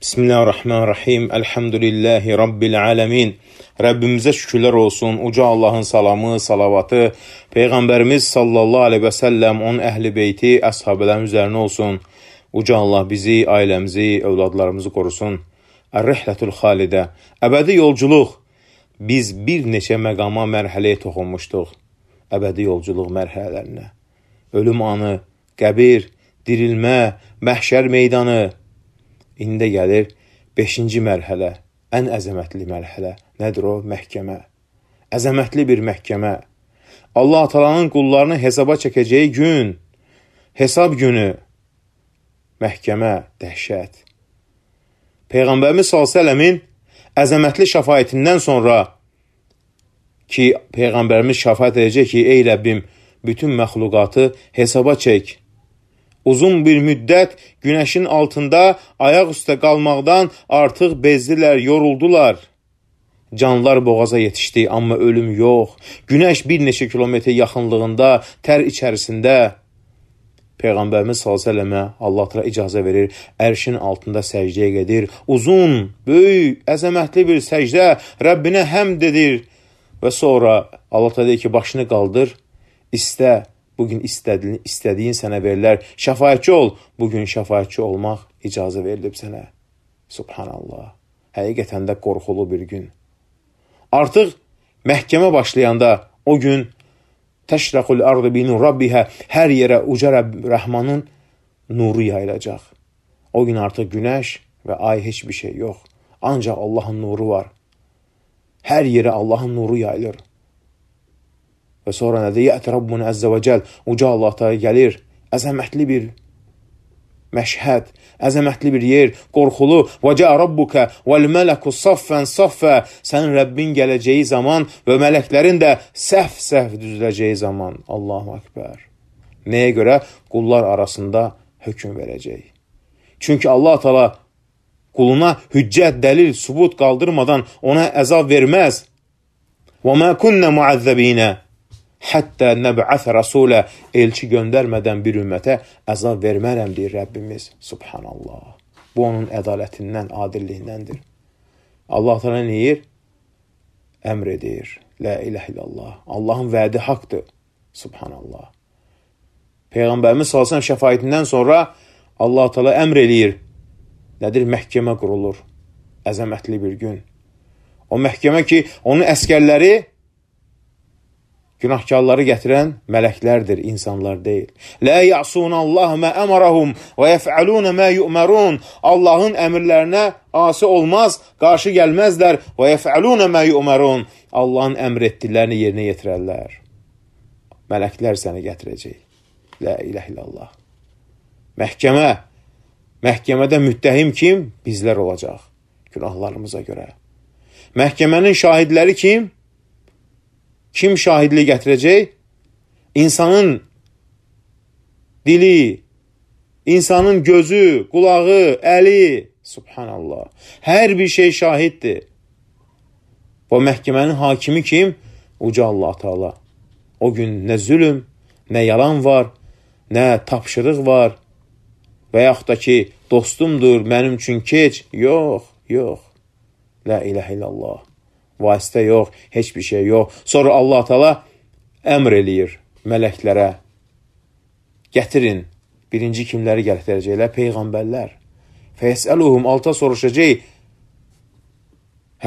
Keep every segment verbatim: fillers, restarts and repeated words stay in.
Bismillahirrahmanirrahim. Elhamdülillahi Rabbil alemin. Rəbbimizə şükürlər olsun. Uca Allahın salamı, salavatı, Peyğəmbərimiz sallallahu aleyhi və səlləm, onun əhl-i beyti, əshabələrin üzərinə olsun. Uca Allah bizi, ailəmizi, övladlarımızı qorusun. Ər-Rihlətül Xalidə. Əbədi yolculuq. Biz bir neçə məqama, mərhələyə toxunmuşduq. Əbədi yolculuq mərhələlərinə. Ölüm anı, qəbir, dirilmə, məhşər meydanı. İndi gəlir beşinci mərhələ, ən əzəmətli mərhələ. Nədir o? Məhkəmə. Əzəmətli bir məhkəmə. Allah Taala'nın qullarını hesaba çəkəcəyi gün, hesab günü, məhkəmə, dəhşət. Peyğəmbərimiz sallallahu əleyhi və səlləmin əzəmətli şəfaətindən sonra ki, Peyğəmbərimiz şəfaət edəcək ki, ey Rəbbim, bütün məxluqatı hesaba çək. Uzun bir müddət günəşin altında ayaq üstə qalmaqdan artıq bezdilər, yoruldular. Canlar boğaza yetişdi, amma ölüm yox. Günəş bir neçə kilometr yaxınlığında, tər içərisində. Peyğəmbərimiz sallallahu əleyhi və səlləmə Allah Teala icazə verir, ərşin altında səcdəyə gedir. Uzun, böyük, əzəmətli bir səcdə Rəbbinə həmd edir. Və sonra Allah Teala deyir ki, başını qaldır, istə. Bugün istədiyin, istədiyin sənə verilər. Şəfaətçi ol. Bugün şəfaətçi olmaq icazə verilib sənə. Subhanallah. Həqiqətən də qorxulu bir gün. Artıq məhkəmə başlayanda o gün təşrəqul ardı bi nur rabbihə, hər yerə uca Rəbb Rəhmanın nuru yayılacaq. O gün artıq günəş və ay heç bir şey yox. Ancaq Allahın nuru var. Hər yerə Allahın nuru yayılır. Və sonra nədir? Yəti Rabbun Əzzə və Cəl. Uca Allah Teala gəlir. Əzəmətli bir məşhəd, əzəmətli bir yer, qorxulu. Və cəə Rabbuka vəl mələku saffən saffə. Sənin Rəbbin gələcəyi zaman və mələklərin də səhv-səhv düzüləcəyi zaman. Allahu Ekber. Nəyə görə? Qullar arasında hökm verəcək. Çünki Allah Teala quluna hüccət, dəlil, sübut qaldırmadan ona əzab verməz. Və mə kunnə muəzzəbinə. Hətta nəb'əsə rasulə, elçi göndərmədən bir ümmətə əzab vermərəm, deyir Rəbbimiz. Subhanallah. Bu onun ədalətindən, adilliyindəndir. Allah Teala nə deyir? Əmr edir. La ilahe illallah. Allahın vədi haqdır. Subhanallah. Peyğəmbərimiz sallallahu əleyhi və səlləm şəfaətindən sonra Allah Teala əmr eləyir. Nədir? Məhkəmə qurulur. Əzəmətli bir gün. O məhkəmə ki, onun əskərləri günahkarları gətirən mələklərdir, insanlar deyil. Lə ya'sunallahu mə əmərəhum və yəf'alun mə yu'mərun. Allahın əmrlərinə asi olmaz, qarşı gəlməzlər. Və yəf'alun mə yu'mərun. Allahın əmr etdiklərini yerinə yetirərlər. Mələklər səni gətirəcək. La ilahe illallah. Məhkəmə. Məhkəmədə müttəhim kim? Bizlər olacaq. Günahlarımıza görə. Məhkəmənin şahidləri kim? Kim şahidlik gətirəcək? İnsanın dili, insanın gözü, qulağı, əli. Subhanallah. Hər bir şey şahiddir. Bu məhkəmənin hakimi kim? Uca Allah Teala. O gün nə zülüm, nə yalan var, nə tapşırıq var. Və yaxud da ki, dostumdur, mənim üçün keç. Yox, yox. La ilahe illallah. Vasitə yox, heç bir şey yox. Sonra Allah Teala əmr eləyir mələklərə. Gətirin. Birinci kimləri gətirəcəklər? Peyğəmbərlər. Fəyəsəluhum, alta soruşacaq.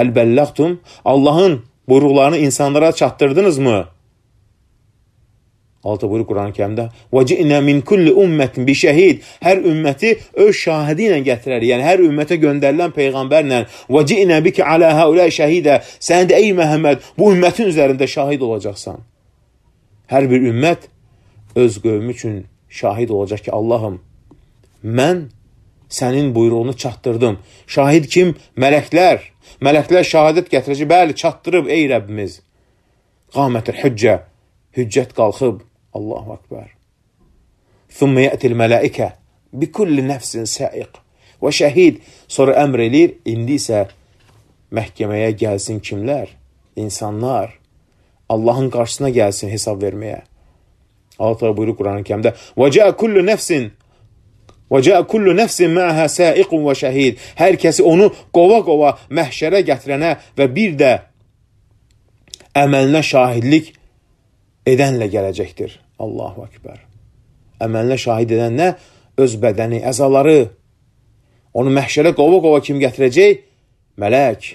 Həl bəlləqtum? Allahın buyruqlarını insanlara çatdırdınızmı? Altı buyruq Quran-ı Kərimdə. وَجِئْنَا مِنْ كُلِّ أُمَّةٍ بِشَهِيدٍ. Hər ümməti öz şahidi ilə gətirər. Yəni, hər ümmətə göndərilən Peyğəmbərlə. وَجِئْنَا بِكَ عَلَى هَؤُلَاءِ شَهِيدًا. Sən də, ey Məhəmməd, bu ümmətin üzərində şahid olacaqsan. Hər bir ümmət öz qövmü üçün şahid olacaq ki, Allahım, mən sənin buyruğunu çatdırdım. Şahid kim? Mələklər. Mələklər şahadət gətirəcək. Bəli, çatdırıb, ey Rəbbimiz. Qamətül hüccə. Hüccət qalxıb. Allahu Ekber. Thumma yətil mələikə bi kulli nəfsin səiq və şəhid. Sonra əmr eləyir, indi isə məhkəməyə gəlsin kimlər? İnsanlar. Allahın qarşısına gəlsin hesab verməyə. Allah Teala buyurur Quran-ı Kərimdə. Və cəə kullu nəfsin Və cəə kullu nəfsin mə'hə səiqun və şəhid. Hər kəsi onu qova-qova məhşərə gətirənə və bir də əməlinə şahidlik edənlə gələcəkdir. Allahu Ekber. Əməlinə şahid edən nə? Öz bədəni, əzaları. Onu məhşərə qova-qova kim gətirəcək? Mələk.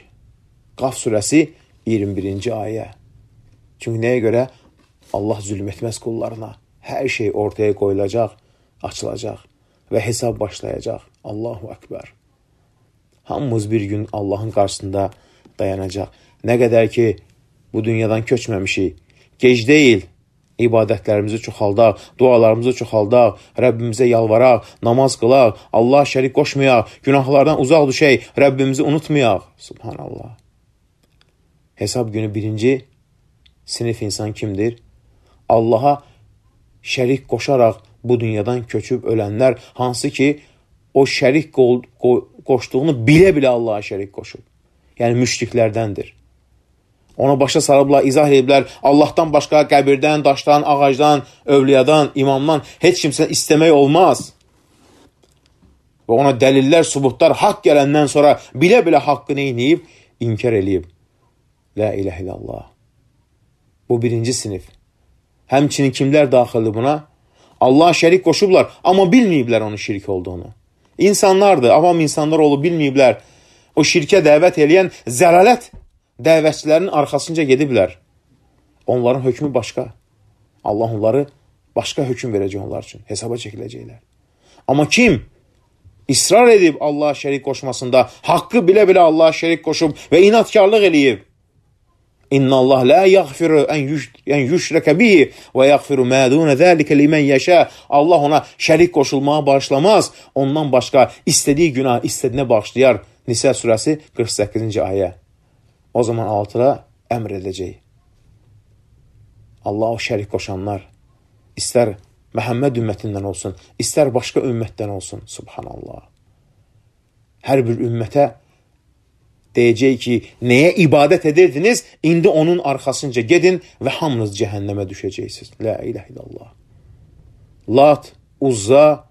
Qaf surəsi iyirmi birinci ayə. Çünki nəyə görə? Allah zülm etməz qullarına. Hər şey ortaya qoyulacaq, açılacaq və hesab başlayacaq. Allahu Ekber. Hamımız bir gün Allahın qarşısında dayanacaq. Nə qədər ki, bu dünyadan köçməmişik. Gec deyil. İbadətlərimizi çoxaldaq, dualarımızı çoxaldaq, Rəbbimizə yalvaraq, namaz qılaq, Allah şərik qoşmayaq, günahlardan uzaq düşək, Rəbbimizi unutmayaq. Subhanallah. Hesab günü birinci sinif insan kimdir? Allaha şərik qoşaraq bu dünyadan köçüb ölənlər, hansı ki, o şərik qoşduğunu bilə-bilə Allaha şərik qoşub. Yəni, müşriklərdəndir. Ona başa sarıblar, izah ediblər, Allahdan başqa qəbirdən, daşdan, ağacdan, övliyadan, imamdan heç kimsə istəmək olmaz. Və ona dəlillər, subutlar haqq gələndən sonra bilə-bilə haqqı neyniyib, inkar eləyib. La ilahe illallah. Bu birinci sinif. Həmçinin kimlər daxildir buna? Allah şərik qoşublar, amma bilməyiblər onun şirk olduğunu. İnsanlardır, avam insanlar olub bilməyiblər. O şirkə dəvət eləyən zəlalət dəvətçilərin arxasınca gediblər. Onların hökmü başqa. Allah onları başqa hökm verəcək onlar üçün. Hesaba çəkiləcəklər. Amma kim israr edib Allaha şərik qoşmasında, haqqı bilə-bilə Allaha şərik qoşub və inatkarlıq eləyib, İnna Allah la yaghfiru en yushraka bihi və yaghfiru ma dun zalika limen yasha. Allah ona şərik qoşulmağa bağışlamaz. Ondan başqa istədiyi günah istədiyinə bağışlayar. Nisa surəsi qırx səkkizinci ayə. O zaman altıda əmr edəcək. Allah o şərik qoşanlar istər Məhəmməd ümmətindən olsun, istər başqa ümmətdən olsun. Subhanallah. Hər bir ümmətə deyəcək ki, nəyə ibadət edirdiniz, indi onun arxasınca gedin və hamınız cəhənnəmə düşəcəksiniz. La ilahe illallah. Lat, Uzza,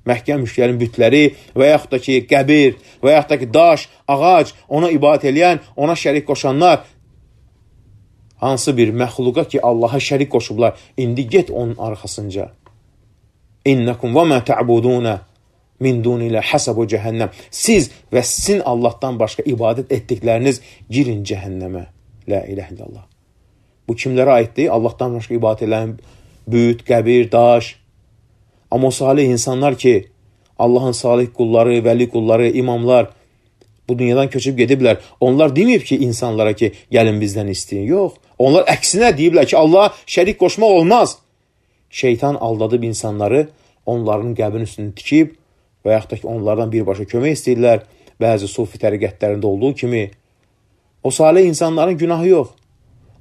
Məkkə müşriklərin bütləri və yaxud da ki, qəbir və yaxud da ki, daş, ağac, ona ibadət eləyən, ona şərik qoşanlar, hansı bir məxluqa ki, Allaha şərik qoşublar, indi get onun arxasınca. İnnəkum və mə tə'budunə min dunilə həsəbu cəhənnəm. Siz və sizin Allahdan başqa ibadət etdikləriniz girin cəhənnəmə. La ilahe illallah. Bu kimlərə aiddir? Allahdan başqa ibadət edən büt, qəbir, daş. Amma o salih insanlar ki, Allahın salih qulları, vəli qulları, imamlar bu dünyadan köçüb gediblər. Onlar deməyib ki, insanlara ki, gəlin bizdən istəyin. Yox. Onlar əksinə deyiblər ki, Allah şərik qoşmaq olmaz. Şeytan aldadıb insanları, onların qəbrin üstünü tikib, və yaxud da ki, onlardan birbaşa kömək istəyirlər, bəzi sufi təriqətlərində olduğu kimi. O salih insanların günahı yox.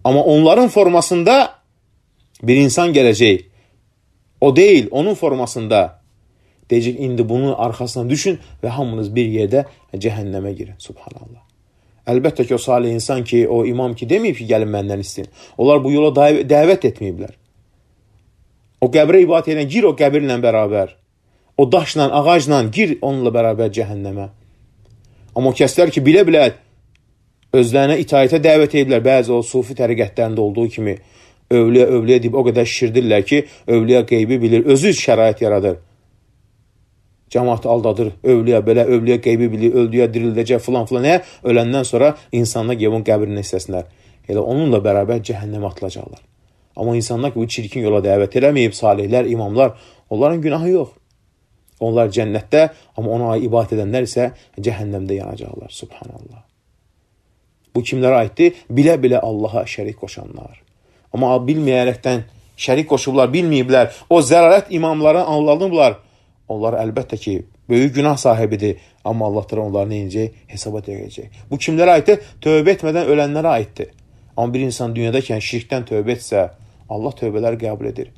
Amma onların formasında bir insan gələcək. O deyil, onun formasında. Deyəcək, indi bunun arxasına düşün və hamınız bir yerdə cəhənnəmə girin. Subhanallah. Əlbəttə ki, o salih insan ki, o imam ki, deməyib ki, gəlin məndən istəyin. Onlar bu yola dəvət etməyiblər. O qəbrə ibadət edən gir o qəbirlə bərabər. O daşla, ağacla gir onunla bərabər cəhənnəmə. Amma o kəslər ki, bilə-bilə özlərinə itaətə dəvət ediblər. Bəzi o sufi təriqətlərində olduğu kimi övliya, övliya deyib o qədər şişirdirlər ki, övliya qeybi bilir, özü şərait yaradır. Cəmaatı aldadır, övliya belə, övliya qeybi bilir, öldüyə dirildəcək filan filan. Nə? Öləndən sonra insanlar gəlib onun qəbrini istəsinlər. Elə onunla bərabər cəhənnəmə atılacaqlar. Amma insanlar ki, bu çirkin yola dəvət eləməyib, salihlər, imamlar, onların günahı yox. Onlar cənnətdə, amma ona ibadət edənlər isə cəhənnəmdə yanacaqlar. Subhanallah. Bu kimlərə aiddir? Bilə-bilə Allaha şərik qoşanlar. Amma bilməyərəkdən şərik qoşublar, bilməyiblər. O zərarət imamları anladıblar. Onlar əlbəttə ki, böyük günah sahibidir. Amma Allah da onları neyəcək? Hesaba deyəcək. Bu kimlərə aiddir? Tövbə etmədən ölənlərə aiddir. Amma bir insan dünyadakən şirkdən tövbə etsə, Allah tövbələri qəbul edir.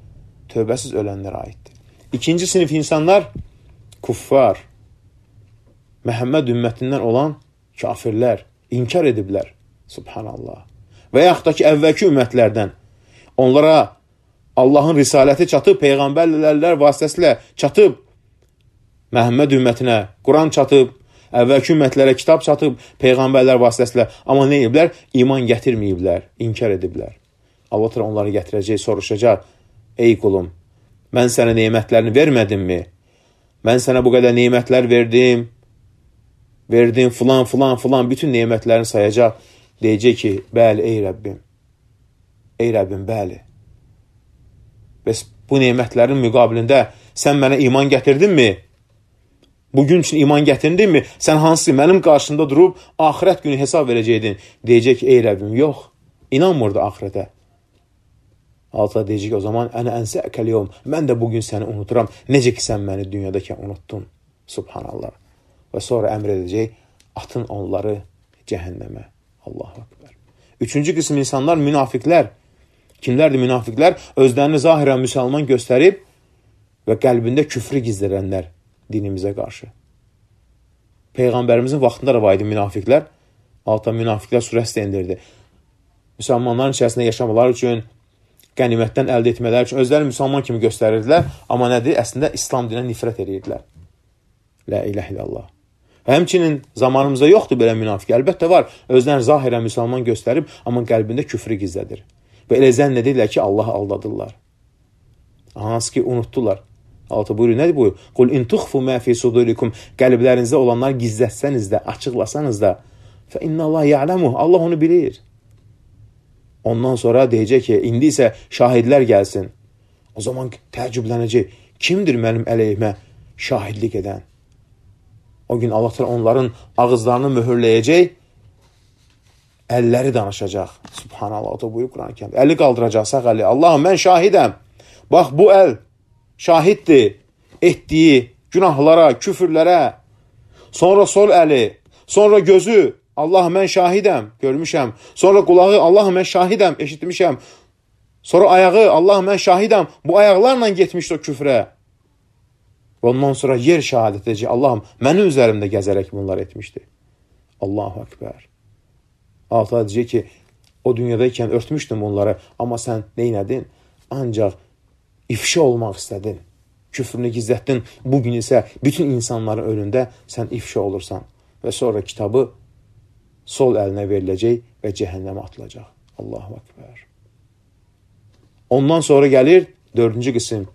Tövbəsiz ölənlərə aiddir. İkinci sinif insanlar kuffar, Məhəmməd ümmətindən olan kafirlər, inkar ediblər. Subhanallah. Və yaxud da ki, əvvəlki ümmətlərdən onlara Allahın risaləti çatıb, peyğəmbərlərlər vasitəsilə çatıb, Məhəmməd ümmətinə Quran çatıb, əvvəlki ümmətlərə kitab çatıb, peyğəmbərlər vasitəsilə. Amma nə ediblər? İman gətirməyiblər, inkar ediblər. Allah təala onları gətirəcək, soruşacaq. Ey qulum, mən sənə nemətlərini vermədimmi? Mən sənə bu qədər nemətlər verdim, verdim filan, filan, filan, bütün nemətlərini sayacaq. Deyəcək ki, bəli, ey Rəbbim, ey Rəbbim, bəli. Bəs bu nemətlərin müqabilində sən mənə iman gətirdinmi? Bugün üçün iman gətirdinmi? Sən hansı mənim qarşımda durub axirət günü hesab verəcəydin? Deyəcək ki, ey Rəbbim, yox, inanmırdı axirətə. Allah deyəcək ki, o zaman ənə ənsəəkəl yevm, mən də bugün səni unuturam, necə ki sən məni dünyadakən unuttun. Subhanallah. Və sonra əmr edəcək, atın onları cəhənnəmə. Allahu Akbar. Üçüncü qism insanlar münafiqlər. Kimlərdir münafiqlər? Özlərini zahirən müsəlman göstərib və qəlbində küfrü gizlədənlər dinimizə qarşı. Peyğəmbərimizin vaxtında da var idi münafiqlər. Alta münafiqlər surəsi indirdi. Müsəlmanların içərisində yaşamaları üçün, qənimətdən əldə etmələri üçün özləri müsəlman kimi göstərirdilər. Amma nədir? Əslində İslam dininə nifrət edirdilər. La ilahe illallah. Həmçinin zamanımızda yoxdur belə münafiq. Əlbəttə var. Özlərini zahirən müsəlman göstərib, amma qəlbində küfrü gizlədir. Və elə zənn edirlər ki, Allahı aldadırlar. Hansı ki, unutdular. Allah buyurur, nədir buyur? Qul in tuxfu ma fi sudurikum. Qəlblərinizdə olanlar gizlətsəniz də, açıqlasanız da, fə innallah ya'lamu. Allah onu bilir. Ondan sonra deyəcək ki, indi isə şahidlər gəlsin. O zaman təəccüblənəcək. Kimdir mənim əleyhimə şahidlik edən? O gün Allah təala onların ağızlarını möhürləyəcək, əlləri danışacaq. Subhanallah, o da buyur Quran-ı Kərimdə. Əli qaldıracaq, sağ əli. Allahım, mən şahidəm. Bax, bu əl şahiddir etdiyi günahlara, küfürlərə. Sonra sol əli, sonra gözü. Allahım, mən şahidəm, görmüşəm. Sonra qulağı, Allahım, mən şahidəm, eşitmişəm. Sonra ayağı, Allahım, mən şahidəm. Bu ayaqlarla getmişdi o küfrə. Ondan sonra yer şəhadət edəcək. Allahım, mənim üzərimdə gəzərək bunlar etmişdi. Allahu Akbar. Allah deyəcək ki, o dünyadaykən örtmüşdüm onları, amma sən neynədin? Ancaq ifşa olmaq istədin. Küfrünü gizlətdin. Bugün isə bütün insanların önündə sən ifşa olursan. Və sonra kitabı sol əlinə veriləcək və cəhənnəmə atılacaq. Allahu Akbar. Ondan sonra gəlir dördüncü qism.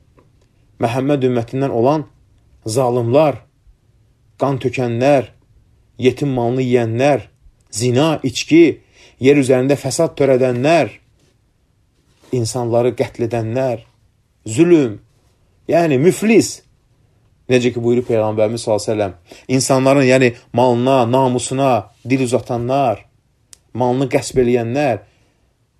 Məhəmməd ümmətindən olan zalimlar, qan tökənlər, yetim malını yiyənlər, zina, içki, yer üzərində fəsad törədənlər, insanları qətl edənlər, zülüm, yəni müflis. Necə ki buyurur Peyğəmbərimiz sallallahu əleyhi və səlləm, insanların yəni malına, namusuna dil uzatanlar, malını qəsb eləyənlər,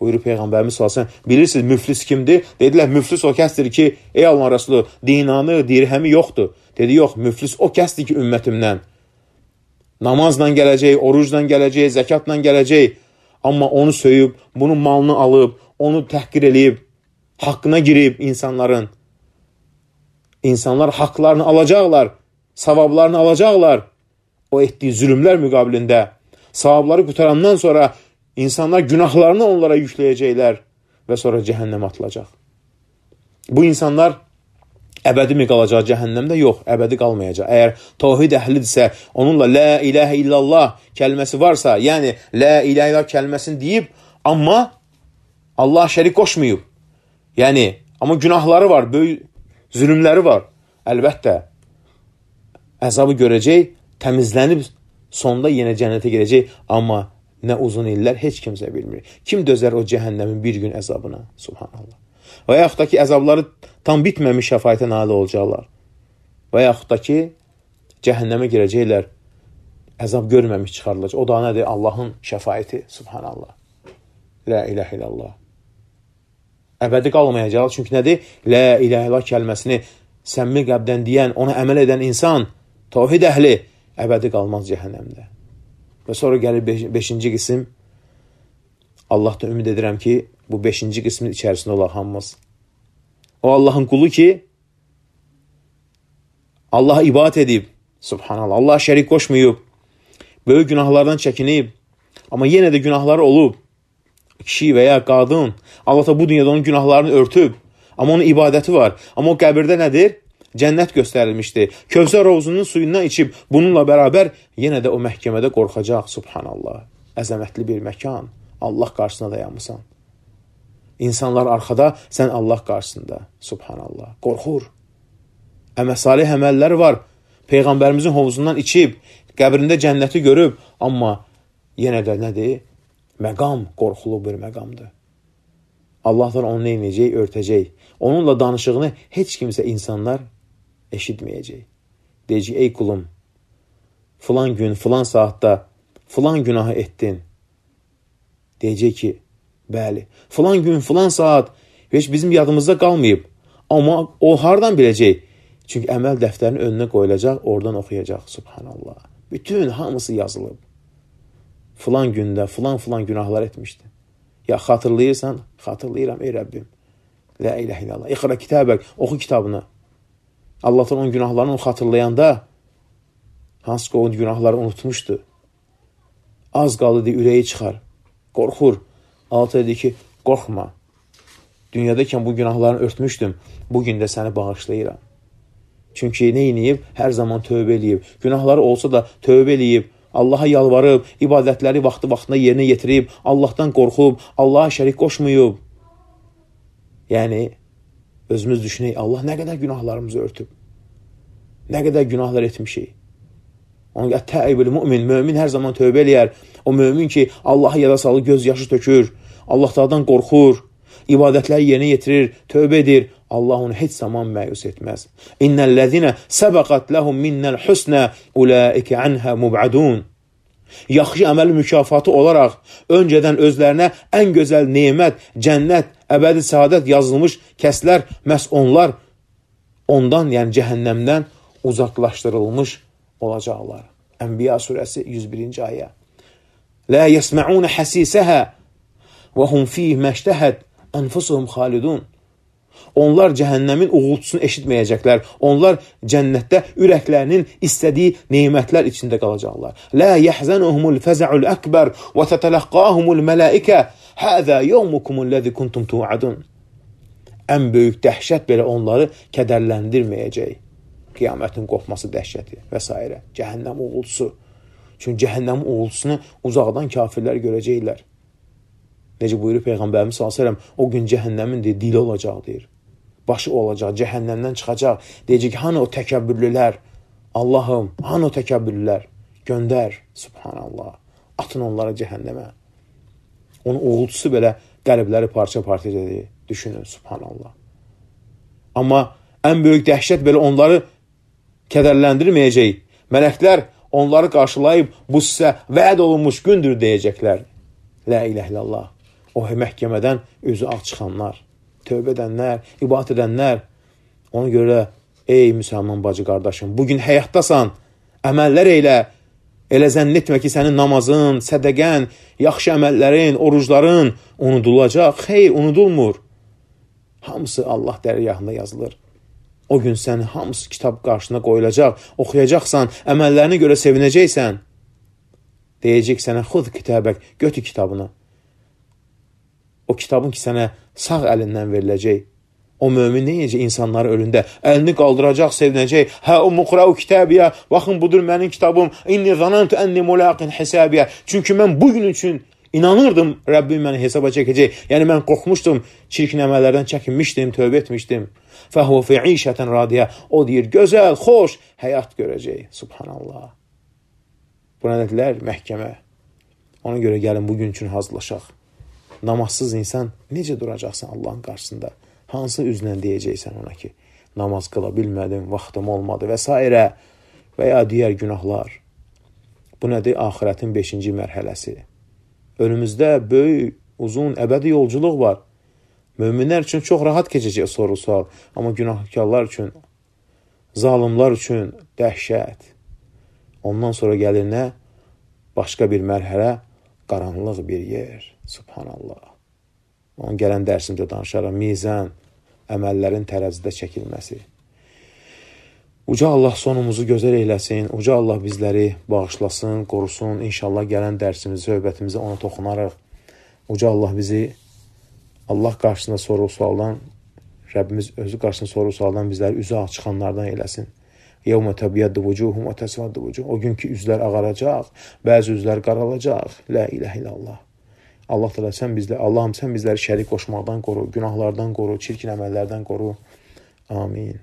buyurur Peyğəmbərimiz sallallahu əleyhi və səlləm. Bilirsiniz müflis kimdir? Dedilər, müflis o kəsdir ki, ey Allah Rəsulü, dinanı, dirhəmi yoxdur. Dedi, yox, müflis o kəsdir ki, ümmətimdən. Namazla gələcək, orucla gələcək, zəkatla gələcək. Amma onu söyüb, bunun malını alıb, onu təhqir eləyib, haqqına girib insanların. İnsanlar haqlarını alacaqlar, savablarını alacaqlar. O etdiyi zülümlər müqabilində. Savabları qutarandan sonra İnsanlar günahlarını onlara yükləyəcəklər və sonra cəhənnəmə atılacaq. Bu insanlar əbədi mi qalacaq cəhənnəmdə? Yox, əbədi qalmayacaq. Əgər tavhid əhlidirsə, onunla la ilahə illallah kəlməsi varsa, yəni la ilahə illallah kəlməsini deyib, amma Allah şərik qoşmayıb. Yəni, amma günahları var, böyük zülümləri var. Əlbəttə, əzabı görəcək, təmizlənib, sonda yenə cənnətə gedəcək, amma nə uzun illər heç kimsə bilmir. Kim dözər o cəhənnəmin bir gün əzabına? Subhanallah. Və yaxud da ki, əzabları tam bitməmiş şəfayətə nail olacaqlar. Və yaxud da ki, cəhənnəmə girəcəklər, əzab görməmiş çıxarılacaq. O da nədir? Allahın şəfayəti. Subhanallah. La ilahə illallah. Əbədi qalmayacaq. Çünki nədir? La ilahə illallah kəlməsini səmimi qəbdən deyən, ona əməl edən insan, tavhid əhli, əbədi qalmaz cəhənnəmdə. Və sonra gəlir beş, beşinci qism. Allahdan ümid edirəm ki, bu beşinci qismin içərisində olaq hamımız. O Allahın qulu ki, Allaha ibadət edib, subhanallah, Allah şərik qoşmayıb, böyük günahlardan çəkinib, amma yenə də günahları olub, kişi və ya qadın, Allah da bu dünyada onun günahlarını örtüb, amma onun ibadəti var. Amma o qəbirdə nədir? cənnət göstərilmişdi. Kövsər hovuzunun suyundan içib bununla bərabər yenə də o məhkəmədə qorxacaq. Subhanallah. Əzəmətli bir məkan. Allah qarşısına dayanmısan. İnsanlar arxada, sən Allah qarşısında. Subhanallah. Qorxur. Əməsalih əməlləri var. Peyğəmbərimizin hovuzundan içib, qəbrində cənnəti görüb, amma yenə də nədir? Məqam qorxulu bir məqamdır. Allahdan onu neynəyəcək? Örtəcək. Onunla danışığını heç kimsə insanlar eşitməyəcək. Deyəcək, ey kulum, filan gün, filan saatda filan günahı etdin. Deyəcək ki, bəli, filan gün, filan saat heç bizim yadımızda qalmayıb. Amma o hardan biləcək? Çünki əməl dəftərinin önünə qoyulacaq, oradan oxuyacaq. Subhanallah. Bütün hamısı yazılıb. Filan gündə, filan filan günahlar etmişdi. Ya xatırlayırsan, xatırlayıram ey Rəbbim. La ilahe illallah. İqra kitabək, oxu kitabını. Allah'tan onun günahlarını onu xatırlayanda, hansı ki o günahları unutmuşdu. Az qaldı deyə ürəyi çıxar. Qorxur. Allah dedi ki, qorxma. Dünyadayken bu günahlarını örtmüşdüm. Bugün də səni bağışlayıram. Çünki nə inəyib? Hər zaman tövbə eləyib. Günahları olsa da tövbə eləyib. Allah'a yalvarıb, ibadətləri vaxtı vaxtında yerinə yetirib, Allah'tan qorxub, Allah'a şərik qoşmayıb. Yəni, özümüz düşünək, Allah nə qədər günahlarımızı örtüb. Nə qədər günahlar etmişik. Onun ət-təibül mümin, mömin hər zaman tövbə eləyər. O mömin ki, Allah'a yada salı göz yaşı tökür, Allah'tan qorxur, ibadətləri yerinə yetirir, tövbə edir. Allah onu heç zaman məyus etməz. İnnellezine səbəqat lehum minnel husna ulaike anha mubadun. Yaxşı əməl mükafatı olaraq öncədən özlərinə ən gözəl nemət, cənnət, əbədi saadət yazılmış kəslər, məhz onlar ondan, yəni cəhənnəmdən uzaqlaşdırılmış olacaqlar. Ənbiya surəsi yüz birinci ayə. La yesma'un hasisəha və hum fih məştəhəd ənfusuhum xalidun. Onlar cəhənnəmin uğultusunu eşitməyəcəklər. Onlar cənnətdə ürəklərinin istədiyi nemətlər içində qalacaqlar. La yahzanuhumul faza'ul akbar və tatalaqqahumul malaika hada yawmukumul-lezî kuntum tu'adun. Ən böyük dəhşət belə onları kədərləndirməyəcək. Qiyamətin qopması dəhşəti və s. Cəhənnəm uğultusu. Çünki cəhənnəmin uğultusunu uzaqdan kafirlər görəcəklər. Necə buyurur Peyğəmbərimiz sallallahu əleyhi və səlləm, o gün cəhənnəmin deyir, dili olacaq deyir. Başı olacaq, cəhənnəmdən çıxacaq. Deyəcək, hanı o təkəbbürlülər? Allahım, hanı o təkəbbürlülər? Göndər, subhanallah. Atın onları cəhənnəmə. Onun uğultusu belə qəlbləri parça-parça edir. Düşünün, subhanallah. Amma ən böyük dəhşət belə onları kədərləndirməyəcək. Mələklər onları qarşılayıb, bu sizə vəd olunmuş gündür deyəcəklər. La ilahe illallah. O məhkəmədən özü ağ çıxanlar, tövbə edənlər, ibadət edənlər. Ona görə, ey müsəlman bacı qardaşım, bugün həyatdasan, əməllər eylə, elə zənn etmə ki, sənin namazın, sədəqən, yaxşı əməllərin, orucların unudulacaq. Xeyr, unudulmur. Hamısı Allah dərgahında yazılır. O gün sən hamısı kitab qarşına qoyulacaq, oxuyacaqsan, əməllərini görə sevinəcəksən. Deyəcək sənə, xud kitabək, götür kitabını. O kitabın ki, sənə sağ əlindən veriləcək. O mömin neyəcək insanları ölündə? Əlini qaldıracaq, sevinəcək. Hə, o muqra'u kitabiyə, baxın, budur mənim kitabım. İnni zanantu ənni mulaqin hisabiyə. Çünki mən bugün üçün inanırdım, Rəbbim məni hesaba çəkəcək. Yəni, mən qorxmuşdum, çirkin əməllərdən çəkinmişdim, tövbə etmişdim. Fəhvə fi'işətən radiyə. O deyir, gözəl, xoş həyat görəcək. Subhanallah. Buna dedilər, məhkəmə. Ona görə gəlin bugün üçün hazırlaşaq. Namazsız insan necə duracaqsan Allahın qarşısında? Hansı üzlə deyəcəksən ona ki, namaz qıla bilmədim, vaxtım olmadı və s. və ya digər günahlar. Bu nədir? Axirətin beşinci mərhələsi. Önümüzdə böyük, uzun, əbədi yolculuq var. Möminlər üçün çox rahat keçəcək soru-sual, amma günahkarlar üçün, zalimlar üçün dəhşət. Ondan sonra gəlir nə? Başqa bir mərhələ, qaranlıq bir yer. Subhanallah. Onun gələn dərsimdə danışaram. Mizan, əməllərin tərəzidə çəkilməsi. Uca Allah sonumuzu gözəl eyləsin. Uca Allah bizləri bağışlasın, qorusun. İnşallah gələn dərsimizi, söhbətimizi ona toxunarıq. Uca Allah bizi Allah qarşısında soru-sualdan Rəbbimiz özü qarşısında soru-sualdan bizləri üzü ağ çıxanlardan eləsin. Yevmə təbiyyəddə vücuhum və təsvəddə vücuh. O gün ki, üzlər ağaracaq, bəzi üzlər qaralacaq. La iləhə illallah. Allah təala sən bizlə, Allahım sən bizləri şərik qoşmaqdan qoru, günahlardan qoru, çirkin əməllərdən qoru. Amin.